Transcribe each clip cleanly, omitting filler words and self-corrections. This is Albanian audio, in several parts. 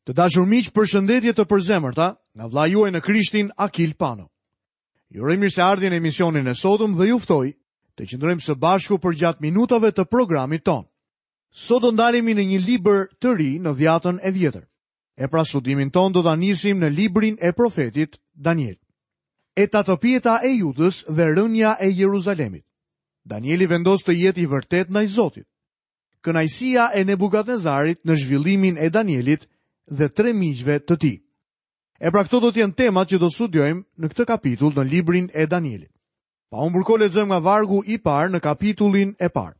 Të dashur miq, përshëndetje të përzemërta nga vëllai juaj në Krishtin Akil Pano. Ju uroj mirëseardhjen në emisionin e sotëm dhe ju ftoj të qëndrojmë së bashku përgjatë minutave të programit tonë. Sot do ndalemi në një libër të ri në Dhjatën e Vjetër. E pra studimin tonë do ta nisim në librin e profetit Daniel. E tatëpjeta e Judës dhe rënia e Jeruzalemit. Danieli vendos të jetë i vërtetë ndaj Zotit. Kënaqësia e Nebukadnezarit në zhvillimin e Danielit dhe tre miqve të tij. E pra këto do të jenë temat që do të studiojmë në këtë kapitull në librin e Danielit. Pa humbur kohë lexojmë nga vargu i parë në kapitullin e parë.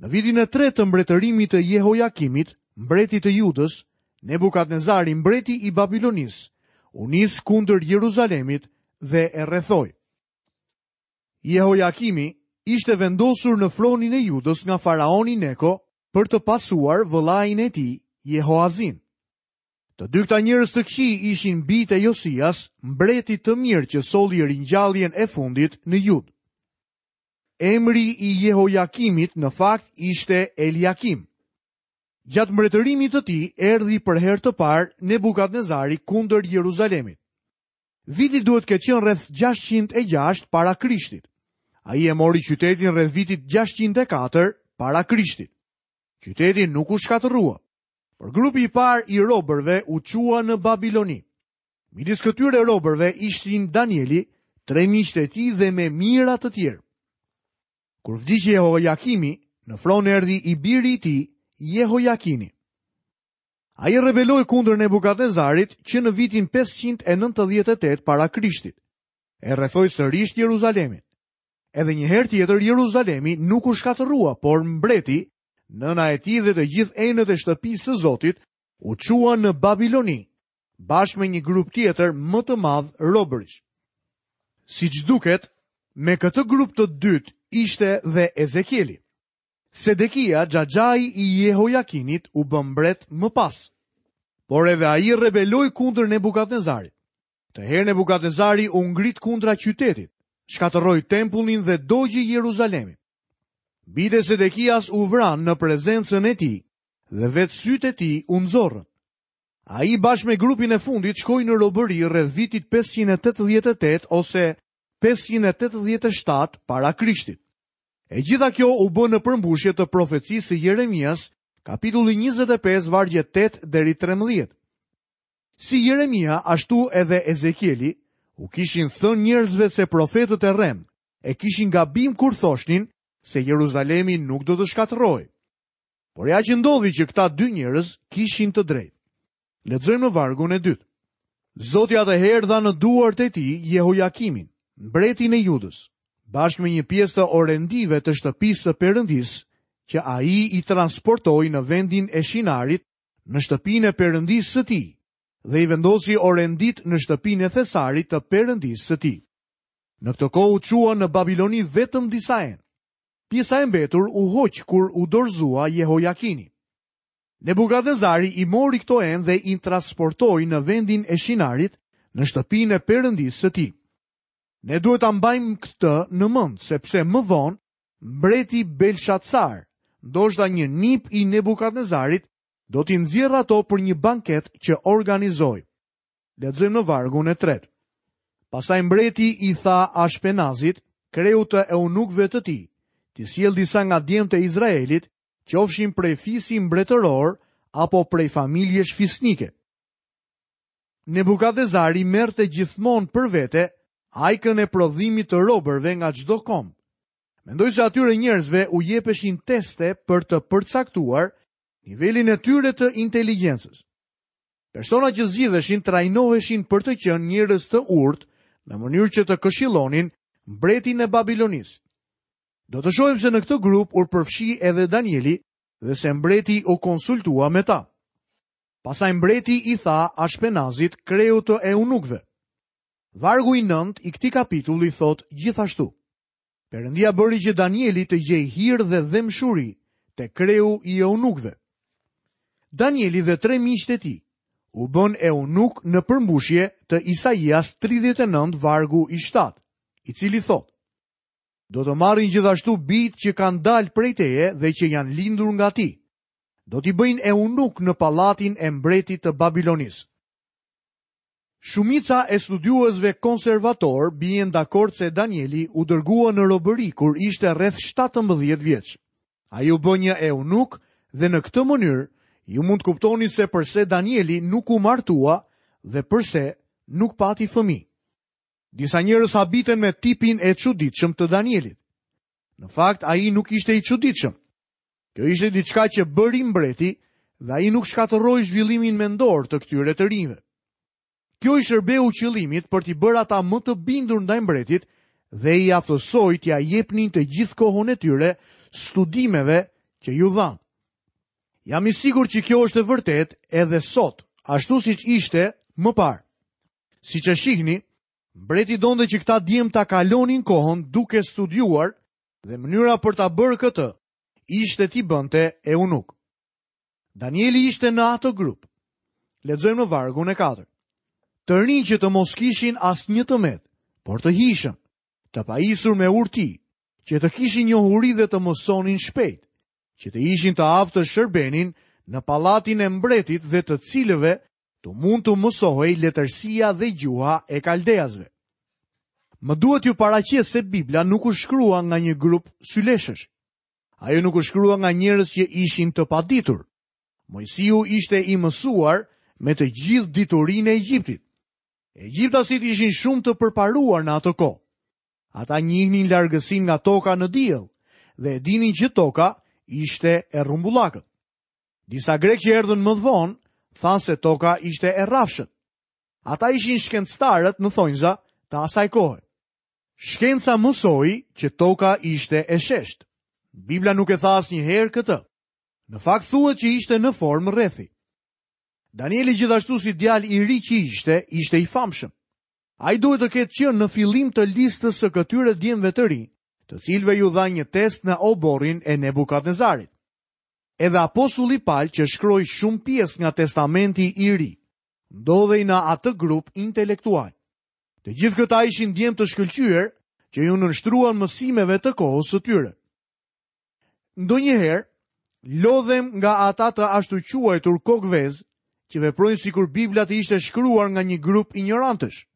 Në vitin e tretë të mbretërimit të Jehojakimit, mbretit të Judës, Nebukadnezari, mbreti i Babilonisë, u nis kundër Jeruzalemit dhe e rrethoi. Jehojakimi ishte vendosur në fronin e Judës nga faraoni Neko për të pasuar vëllain e tij, Jehoazin. Të dy këta njerëz të këqij ishin bijtë e Josias, mbretit të mirë që solli ringjalljen e fundit në Judë. Emri i Jehojakimit në fakt ishte Eliakim. Gjatë mbretërimit të tij erdhi për herë të parë Nebukadnezari kundër Jeruzalemit. Viti duhet të ketë qenë rreth 606 para Krishtit. Ai e mori qytetin rreth vitit 604 para Krishtit. Qyteti nuk u shkatërrua, por grupi i parë i robërve u çua në Babiloni. Midis këtyre robërve ishin Danieli, tre miqtë e tij dhe me mijëra të tjerë. Kur vdiq Jehojakimi, në fron erdhi i biri i tij, Jehojakini. Ai rebeloi kundër Nebukadnezarit që në vitin 598 para Krishtit. E rrethoi sërish Jeruzalemin. Edhe një herë tjetër Jeruzalemi nuk u shkatërrua, por mbreti, nëna e tij dhe të gjithë enët e shtëpisë së Zotit u çuan në Babiloni, bashkë me një grup tjetër më të madh robërish. Siç duket, me këtë grup të dytë ishte dhe Ezekieli. Sedekia, xhaxhai i Jehojakinit, u bë mbret më pas. Por edhe ai rebeloi kundër Nebukadnezarit. Këtë herë Nebukadnezari u ngrit kundra qytetit, shkatërroi tempullin dhe dogji Jeruzalemin. Bijtë e Sedekias u vranë në prezencën e tij dhe vetë sytë e tij u nxorrën. Ai bashkë me grupin e fundit shkoi në robëri rreth vitit 588 ose 587 para Krishtit. E gjitha kjo u bë në përmbushje të profecisë së Jeremias, kapitulli 25, vargjet 8 deri 13. Si Jeremia, ashtu edhe Ezekieli, u kishin thënë njerëzve se profetët e rremë e kishin gabim kur thoshnin se Jeruzalemi nuk do të shkatërrohej. Por ja që ndodhi që këta dy njerëz kishin të drejtë. Lexojmë në vargun e dytë. Zoti atëherë dha në duart e tij Jehojakimin, mbretin e Judës, bashkë me një pjesë të orendive të shtëpisë së Perëndisë, që ai i transportoi në vendin e Shinarit, në shtëpinë e Perëndisë së tij, dhe i vendosi orenditë në shtëpinë e thesarit të Perëndisë së tij. Në këtë kohë u çuan në Babiloni vetëm disa enë. Pjesa e mbetur u hoq kur u dorëzua Jehojakini. Nebukadnezari i mori këto enë dhe i transportoi në vendin e Shinarit, në shtëpinë e Perëndisë së tij. Ne duhet ta mbajmë këtë në mend, sepse më vonë mbreti Belshatsar, ndoshta një nip i Nebukadnezarit, do t'i nxjerrë ato për një banket që organizoi. Lexojmë në vargun e tretë. Pastaj mbreti i tha Ashpenazit, kreut të eunukëve të tij, t'i sjellë disa nga djemtë e Izraelit, qofshin prej fisi mbretëror apo prej familjesh fisnike. Nebukadnezari merrte gjithmonë për vete ajkën e prodhimit të robërve nga çdo komb. Mendoj se atyre njerëzve u jepeshin teste për të përcaktuar nivelin e tyre të inteligjencës. Personat që zgjidheshin trajnoheshin për të qenë njerëz të urtë në mënyrë që të këshillonin mbretin e Babilonisë. Do të shohim se në këtë grup u përfshi edhe Danieli dhe se mbreti u konsultua me ta. Pastaj mbreti i tha Ashpenazit, kreut të eunukëve. Vargu i nëntë i këtij kapitulli thotë gjithashtu. Perëndia bëri që Danieli të gjejë hir dhe dhembshuri te kreu i eunukëve. Danieli dhe tre miqtë e tij u bënë eunukë në përmbushje të Isaias 39 vargu i 7, i cili thotë: Do të marrin gjithashtu bijtë që kanë dalë prej teje dhe që janë lindur nga ti. Do t'i bëjnë eunukë në pallatin e mbretit të Babilonisë. Shumica e studiuesve konservatorë bien dakord se Danieli u dërgua në robëri kur ishte rreth 17 vjeç. Ai u bë një eunuk dhe në këtë mënyrë ju mund të kuptoni se përse Danieli nuk u martua dhe përse nuk pati fëmijë. Disa njerëz habiten me tipin e çuditshëm të Danielit. Në fakt, ai nuk ishte i çuditshëm. Kjo ishte diçka që bëri mbreti dhe ai nuk shkatërroi zhvillimin mendor të këtyre të rinjve. Kjo i shërbeu qëllimit për t'i bërë ata më të bindur ndaj mbretit dhe i aftësoi t'ia jepnin të gjithë kohën e tyre studimeve që iu dhanë. Jam i sigurt që kjo është e vërtetë edhe sot, ashtu siç ishte më parë. Siç e shihni, mbreti donte që këta djem ta kalonin kohën duke studiuar dhe mënyra për ta bërë këtë ishte t'i bënte eunukë. Danieli ishte në atë grup. Lexojmë në vargun e 4. Të rinj që të mos kishin asnjë të metë, por të hijshëm, të pajisur me urti, që të kishin njohuri dhe të mësonin shpejt, që të ishin të aftë të shërbenin në pallatin e mbretit dhe të cilëve të mund t'u mësohej letërsia dhe gjuha e kaldeasve. Më duhet t'ju paraqes se Bibla nuk u shkrua nga një grup syleshësh. Ajo nuk u shkrua nga njerëz që ishin të paditur. Moisiu ishte i mësuar me të gjithë diturinë e Egjiptit. Egjiptasit ishin shumë të përparuar në atë kohë. Ata njihnin largësinë nga toka në diell dhe e dinin që toka ishte e rrumbullakët. Disa grekë që erdhën më vonë thanë se toka ishte e rrafshët. Ata ishin shkencëtarët në thonjza të asaj kohe. Shkenca mësoi që toka ishte e sheshtë. Bibla nuk e tha asnjëherë këtë. Në fakt thuhet që ishte në formë rrethi. Danieli gjithashtu si djalë i ri që ishte, ishte i famshëm. Ai duhet të ketë qenë në fillim të listës së këtyre djemve të rinj, të cilëve iu dha një test në oborrin e Nebukadnezarit. Edhe apostulli Pal që shkroi shumë pjesë nga Testamenti i Ri, ndodhej në atë grup intelektual. Të gjithë këta ishin djem të shkëlqyer që iu nënshtruan mësimeve të kohës së tyre. Ndonjëherë lodhem nga ata të ashtuquajtur kokëvezë që veprojnë sikur Bibla të ishte shkruar nga një grup injorantësh.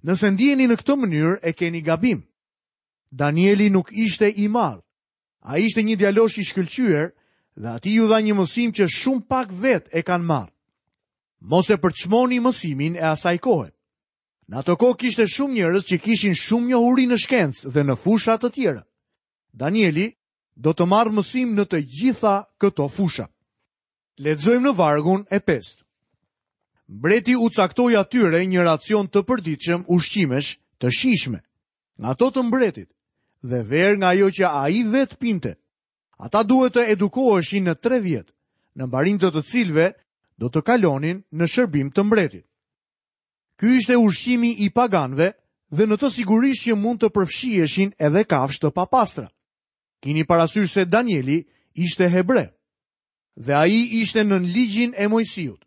Nëse ndiheni në këtë mënyrë, e keni gabim. Danieli nuk ishte i marrë. Ai ishte një djalosh i shkëlqyer dhe atij iu dha një mësim që shumë pak vetë e kanë marrë. Mos e përçmoni mësimin e asaj kohe. Në atë kohë kishte shumë njerëz që kishin shumë njohuri në shkencë dhe në fusha të tjera. Danieli do të marrë mësim në të gjitha këto fusha. Lexojmë në vargun e pestë. Mbreti u caktoi atyre një racion të përditshëm ushqimesh të shijshme, nga ato të mbretit, dhe verë nga ajo që ai vetë pinte. Ata duhet të edukoheshin në tre vjet, në mbarim të të cilëve do të kalonin në shërbim të mbretit. Ky ishte ushqimi i paganëve dhe në të sigurisht që mund të përfshiheshin edhe kafshë të papastra. Kini parasysh se Danieli ishte hebre dhe ai ishte nën ligjin e Moisiut.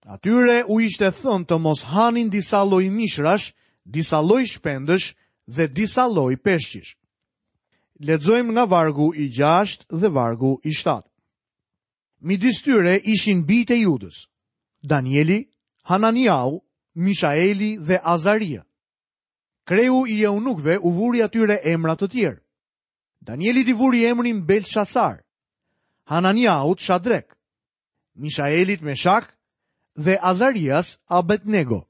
Atyre u ishte thënë të mos hanin disa lloj mishrash, disa lloj shpendësh dhe disa lloj peshqish. Lexojmë nga vargu i 6 dhe vargu i 7. Midis tyre ishin bijtë e Judës, Danieli, Hananiau, Mishaeli dhe Azaria. Kreu i eunukëve u vuri atyre emra të tjerë. Danielit i vuri emrin Belshazar, Hananiaut Shadrek, Mishaelit Meshak dhe Azarias Abednego.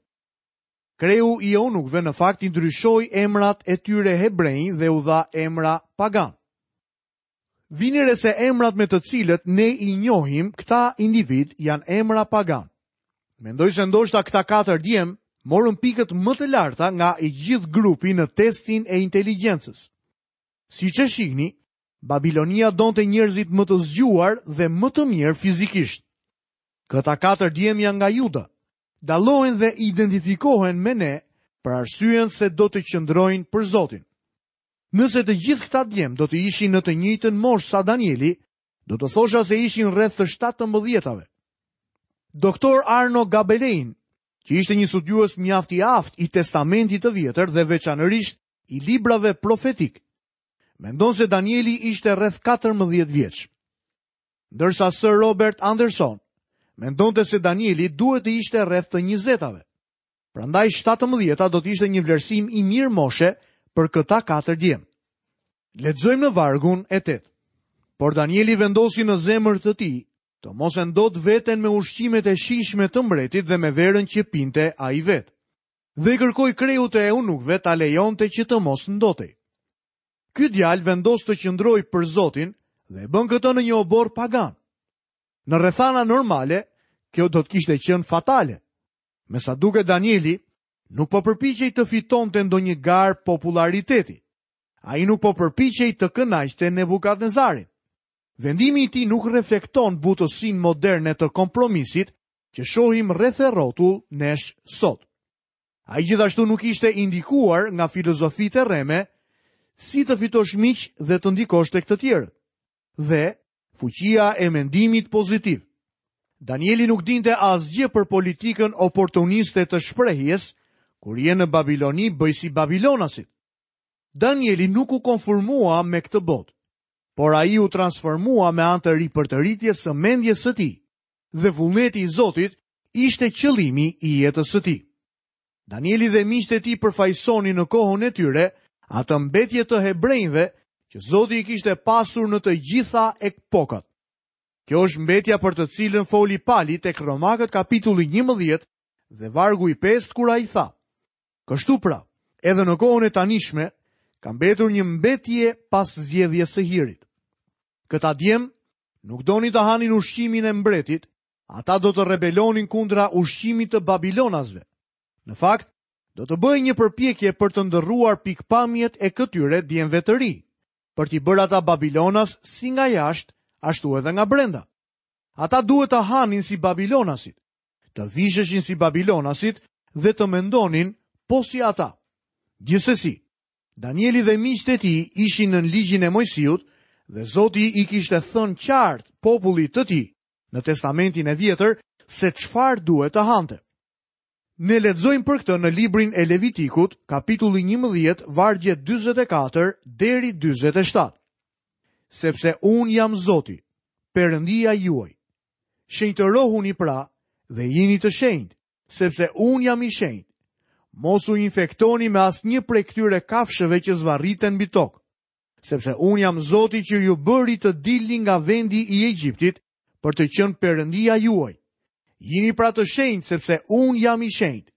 Kreu i eunukëve në fakt i ndryshoi emrat e tyre hebrenj dhe u dha emra paganë. Vini re se emrat me të cilët ne i njohim këta individë janë emra paganë. Mendoj se ndoshta këta katër djem morën pikët më të larta nga i gjithë grupi në testin e inteligjencës. Siç e shihni, Babilonia donte njerëzit më të zgjuar dhe më të mirë fizikisht. Këta katër djem janë nga Juda. Dallohen dhe identifikohen me ne për arsyen se do të qëndrojnë për Zotin. Nëse të gjithë këta djem do të ishin në të njëjtën moshë sa Danieli, do të thosha se ishin rreth të 17-tave. Doktor Arno Gabelein, që ishte një studiues mjaft i aftë i Testamentit të Vjetër dhe veçanërisht i librave profetikë, mendon se Danieli ishte rreth 14 vjeç. Ndërsa Sir Robert Anderson mendonte se Danieli duhet të ishte rreth të njëzetave. Prandaj 17-ta do të ishte një vlerësim i mirë moshe për këta katër djem. Lexojmë në vargun e 8. Por Danieli vendosi në zemër të tij të mos e ndotë veten me ushqimet e shijshme të mbretit dhe me verën që pinte ai vetë. Dhe i kërkoi kreut të eunukëve ta lejonte që të mos ndotej. Ky djalë vendos të qëndrojë për Zotin dhe e bën këtë në një oborr pagan. Në rrethana normale, kjo do të kishte qenë fatale. Me sa duket Danieli nuk po përpiqej të fitonte ndonjë garë popullariteti. Ai nuk po përpiqej të kënaqte Nebukadnezarin. Vendimi i tij nuk reflekton butësinë moderne të kompromisit që shohim rreth e rrotull nesh sot. Ai gjithashtu nuk ishte i ndikuar nga filozofitë e rreme si të fitosh miq dhe të ndikosh tek të tjerët. Dhe fuqia e mendimit pozitiv. Danieli nuk dinte asgjë për politikën oportuniste të shprehjes, kur je në Babiloni bëj si babilonasit. Danieli nuk u konformua me këtë botë, por ai u transformua me anë të ripërtëritjes së mendjes së tij, dhe vullneti i Zotit ishte qëllimi i jetës së tij. Danieli dhe miqtë e tij përfaqësonin në kohën e tyre atë mbetje të hebrenjve që Zoti i kishte pasur në të gjitha epokat. Kjo është mbetja për të cilën foli Pali tek Romakët kapitulli 11 dhe vargu i 5 kur ai tha: Kështu pra, edhe në kohën e tanishme ka mbetur një mbetje pas zgjedhjes së hirit. Këta djem nuk donin të hanin ushqimin e mbretit, Ata do të rebelonin kundra ushqimit të babilonasve. Në fakt, do të bëhej një përpjekje për të ndërruar pikëpamjet e këtyre djemve të rinj, për t'i bërë ata babilonas si nga jashtë, ashtu edhe nga brenda. Ata duhet të hanin si babilonasit, të visheshin si babilonasit dhe të mendonin po si ata. Gjithsesi, Danieli dhe miqtë e tij ishin nën ligjin e Moisiut dhe Zoti i kishte thënë qartë popullit të tij në Testamentin e Vjetër se çfarë duhet të hante. Ne lexojmë për këtë në librin e Levitikut, kapitulli 11, vargjet 44 deri 47. Sepse unë jam Zoti, Perëndia juaj. Shenjtërohuni pra dhe jini të shenjtë, sepse unë jam i shenjtë. Mos u infektoni me asnjë prej këtyre kafshëve që zvarriten mbi tokë. sepse unë jam Zoti që ju bëri të dilni nga vendi i Egjiptit për të qenë Perëndia juaj. Jini pra të shenjtë, sepse unë jam i shenjtë.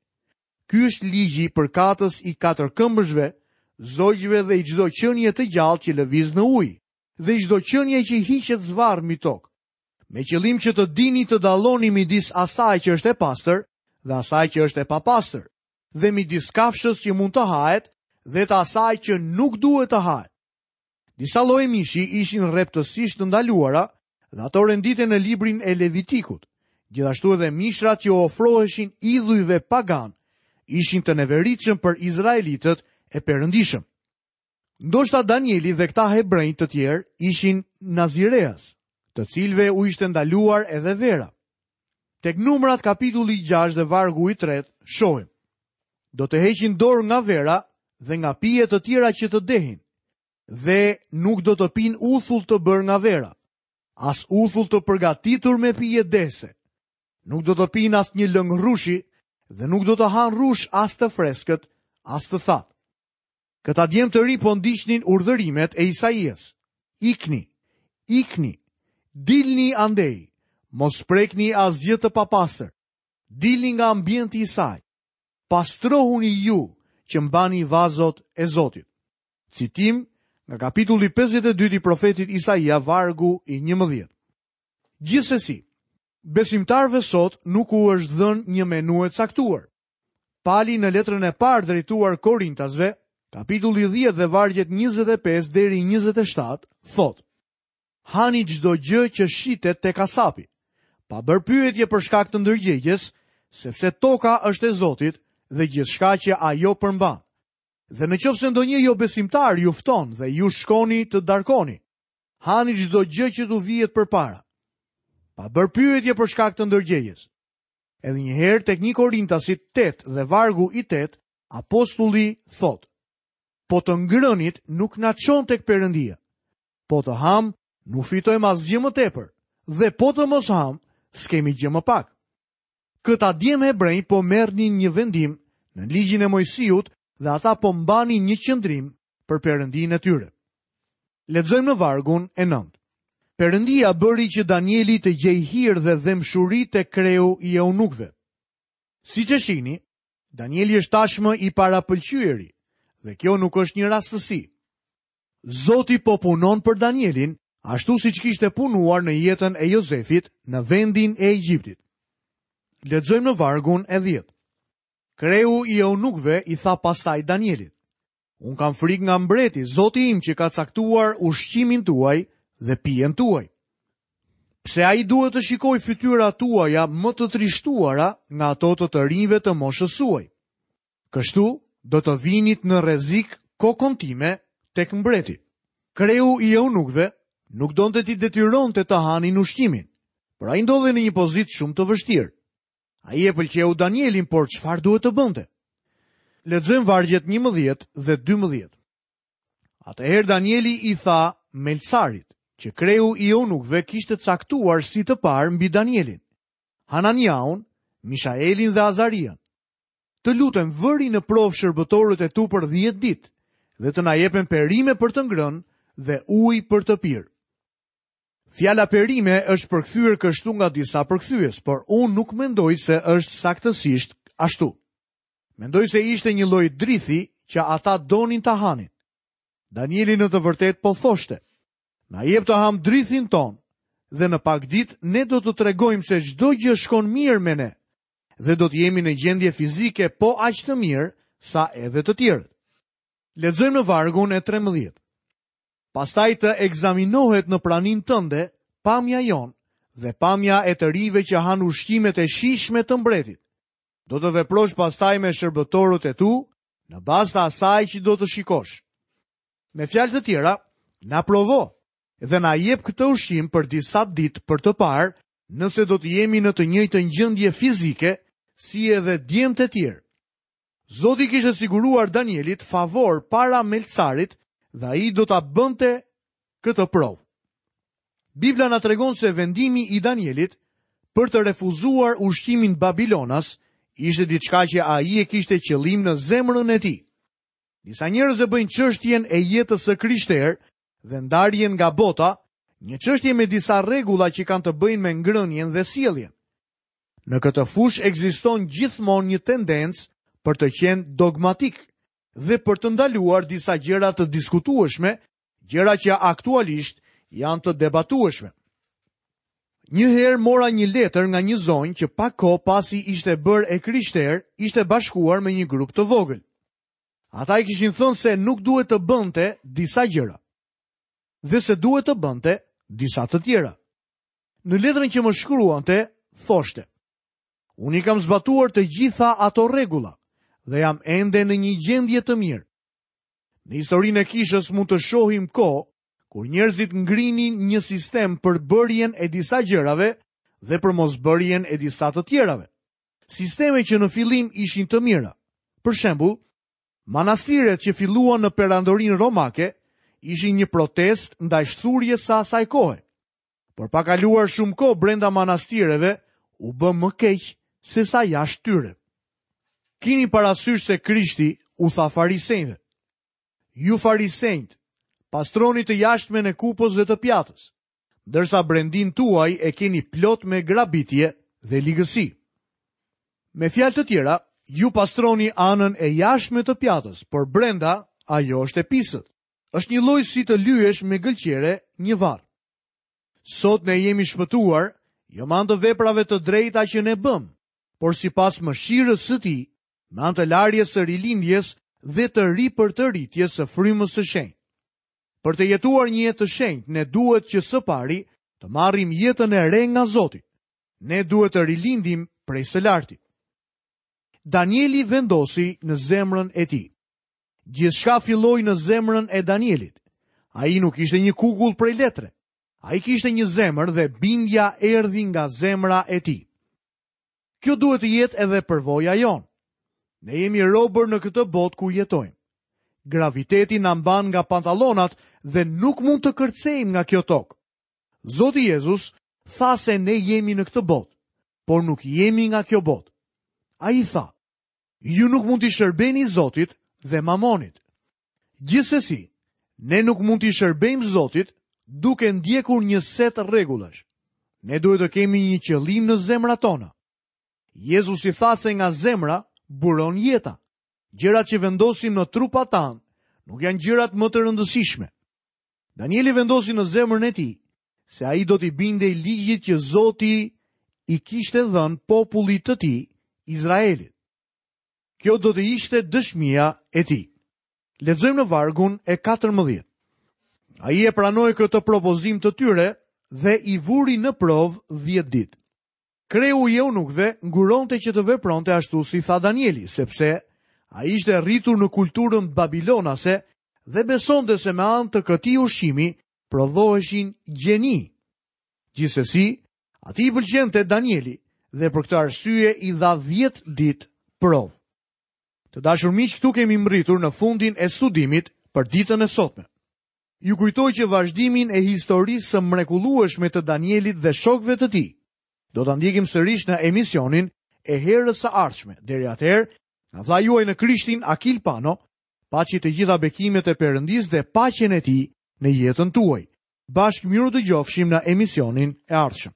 Ky është ligji përkatës i katërkëmbëshve, zogjve dhe i çdo qenie të gjallë që lëviz në ujë, dhe i çdo qenie që hiqet zvarrë mbi tokë. Me qëllim që të dini të dalloni midis asaj që është e pastër dhe asaj që është e papastër. dhe midis kafshës që mund të hahet dhe të asaj që nuk duhet të hahet. Disa lloje mishi ishin rreptësisht të ndaluara dhe ato renditen në librin e Levitikut. Gjithashtu edhe mishrat që u ofroheshin idhujve paganë ishin të neveritshëm për izraelitët e perëndishëm. Ndoshta Danieli dhe këta hebrenj të tjerë ishin nazireas, të cilëve u ishte ndaluar edhe vera. Tek Numrat kapitulli 6 dhe vargu i tretë shohim. Do të heqin dorë nga vera dhe nga pije të tjera që të dehin dhe nuk do të pinë uthull të bërë nga vera, as uthull të përgatitur me pije dehëse. Nuk do të pinë asnjë lëng rrushi dhe nuk do të hanë rrush as të freskët, as të thatë. Këta djem të rinj po ndiqnin urdhërimet e Isaias. Ikni, ikni, dilni andej, mos prekni asgjë të papastër. Dilni nga ambienti i saj. Pastrohuni ju që mbani vazot e Zotit. Citim nga kapitulli 52 i profetit Isaia, vargu i 11. Gjithsesi, besimtarëve sot nuk u është dhënë një menu e caktuar. Pali në letrën e parë drejtuar Korintasve, kapitulli 10 dhe vargjet 25 deri 27, thotë: Hani çdo gjë që shitet te kasapi, pa bërë pyetje për shkak të ndërgjegjes, sepse toka është e Zotit dhe gjithçka që ajo përmban. Dhe në qoftë se ndonjë jobesimtar ju fton dhe ju shkoni të darkoni, hani çdo gjë që t'u vihet përpara, pa bërë pyetje për shkak të ndërgjegjes. Edhe një herë tek 1 Korintasit 8 dhe vargu i 8, apostulli thotë: Po të ngrënit nuk na çon tek Perëndia. Po të hamë, nuk fitojmë asgjë më tepër. dhe po të mos hamë, s'kemi gjë më pak. Këta djem hebrenj po merrnin një vendim në ligjin e Moisiut dhe ata po mbanin një qëndrim për Perëndinë e tyre. Lexojmë në vargun e 9. Perëndia bëri që Danieli të gjejë hir dhe dhembshuri te kreu i eunukëve. Siç e shihni, Danieli është tashmë i parapëlqyeri dhe kjo nuk është një rastësi. Zoti po punon për Danielin, ashtu siç kishte punuar në jetën e Jozefit në vendin e Egjiptit. Lexojmë në vargun e 10. Kreu i eunukëve i tha pastaj Danielit: Unë kam frikë nga mbreti, zoti im që ka caktuar ushqimin tuaj dhe pijen tuaj. Pse ai duhet të shikojë fytyrat tuaja më të trishtuara nga ato të të rinjve të moshës suaj? Kështu do të vinit në rrezik kokën time tek mbreti. Kreu i eunukëve nuk donte t'i detyronte të hanin ushqimin, por ai ndodhej në një pozitë shumë të vështirë. Ai e pëlqeu Danielin, por çfarë duhet të bënte? Lexojmë vargjet 11 dhe 12. Atëherë Danieli i tha Melcarit, që kreu i eunukëve kishte caktuar si të parë mbi Danielin, Hananiahun, Mishaelin dhe Azarian. Të lutem, vëri në provë shërbëtorët e tu për 10 ditë dhe të na jepen perime për të ngrënë dhe ujë për të pirë. Fjala perime është përkthyer kështu nga disa përkthyes, por unë nuk mendoj se është saktësisht ashtu. Mendoj se ishte një lloj drithi që ata donin ta hanin. Danieli në të vërtetë po thoshte, na jep të hamë drithin tonë dhe në pak ditë ne do të tregojmë se çdo gjë shkon mirë me ne dhe do të jemi në gjendje fizike po aq të mirë sa edhe të tjerët. Lexojmë në vargun e 13. Pastaj të ekzaminohet në praninë tënde pamja jonë dhe pamja e të rinjve që hanë ushqimet e shijshme të mbretit. Do të veprosh pastaj me shërbëtorët e tu në bazë të asaj që do të shikosh. Me fjalë të tjera, na provo dhe na jep këtë ushqim për disa ditë për të parë nëse do të jemi në të njëjtën gjendje fizike si edhe djemtë e tjerë. Zoti i kishte siguruar Danielit favor para Melcarit dhe ai do ta bënte këtë provë. Bibla na tregon se vendimi i Danielit për të refuzuar ushqimin babilonas ishte diçka që ai e kishte qëllim në zemrën e tij. Disa njerëz e bëjnë çështjen e jetës së krishterë dhe ndarjen nga bota, një çështje me disa rregulla që kanë të bëjnë me ngrënien dhe sjelljen. Në këtë fushë ekziston gjithmonë një tendencë për të qenë dogmatik dhe për të ndaluar disa gjëra të diskutueshme, gjëra që aktualisht janë të debatueshme. Një herë mora një letër nga një zonjë që pak kohë pasi ishte bërë e krishterë, ishte bashkuar me një grup të vogël. Ata i kishin thënë se nuk duhet të bënte disa gjëra dhe se duhet të bënte disa të tjera. Në letrën që më shkruante, thoshte: Unë i kam zbatuar të gjitha ato rregulla dhe jam ende në një gjendje të mirë. Në historinë e kishës mund të shohim kohë kur njerëzit ngrinin një sistem për bërjen e disa gjërave dhe për mosbërjen e disa të tjerave. Sisteme që në fillim ishin të mira. Për shembull, manastiret që filluan në perandorinë romake ishin një protestë ndaj shthurjes së asaj kohe. Por pa kaluar shumë kohë brenda manastireve, u bë më keq sesa jashtë tyre. Kini parasysh se Krishti u tha farisenjve. Ju farisenjtë, pastroni të jashtmen e kupës dhe të pjatës, ndërsa brendinë tuaj e keni plot me grabitje dhe ligësi. Me fjalë të tjera, ju pastroni anën e jashtme të pjatës, por brenda ajo është e pisët. Është njëlloj si të lyesh me gëlqere një varr. Sot ne jemi shpëtuar, jo me anë të veprave të drejta që ne bëmë, por sipas mëshirës së tij, me anë të larjes së rilindjes dhe të ripërtëritjes së frymës së shenjtë. Për të jetuar një jetë të shenjtë, ne duhet që së pari të marrim jetën e re nga Zoti. Ne duhet të rilindim prej së larti. Danieli vendosi në zemrën e tij. Gjithçka filloi në zemrën e Danielit. Ai nuk ishte një kukull prej letre. Ai kishte një zemër dhe bindja erdhi nga zemra e tij. Kjo duhet të jetë edhe përvoja jonë. Ne jemi robër në këtë botë ku jetojmë. Graviteti na mban nga pantallonat dhe nuk mund të kërcejmë nga kjo tokë. Zoti Jezus tha se ne jemi në këtë botë, por nuk jemi nga kjo botë. Ai tha, ju nuk mund t'i shërbeni Zotit dhe mamonit. Gjithsesi, ne nuk mund t'i shërbejmë Zotit duke ndjekur një set rregullash. Ne duhet të kemi një qëllim në zemrat tona. Jezusi tha se nga zemra buron jeta. Gjërat që vendosim në trupat tanë nuk janë gjërat më të rëndësishme. Danieli vendosi në zemrën e tij se ai do t'i bindej ligjit që Zoti i kishte dhënë popullit të tij, Izraelit. Kjo do të ishte dëshmia e tij. Lexojmë në vargun e 14. Ai e pranoi këtë propozim të tyre dhe i vuri në provë 10 ditë. Kreu i eunukëve nguronte që të vepronte ashtu si tha Danieli, sepse ai ishte rritur në kulturën babilonase dhe besonte se me anë të këtij ushqimi prodhoheshin gjeni. Gjithsesi, atij i pëlqente Danieli dhe për këtë arsye i dha 10 ditë provë. Të dashur miq, këtu kemi mbërritur në fundin e studimit për ditën e sotme. Ju kujtoj që vazhdimin e historisë së mrekullueshme të Danielit dhe shokëve të tij do ta ndjekim sërish në emisionin e herës së ardhshme. Deri atëherë, nga vëllai juaj në Krishtin Akil Pano, paçi të gjitha bekimet e Perëndisë dhe paqen e tij në jetën tuaj. Bashkë mirudëgjofshim në emisionin e ardhshëm.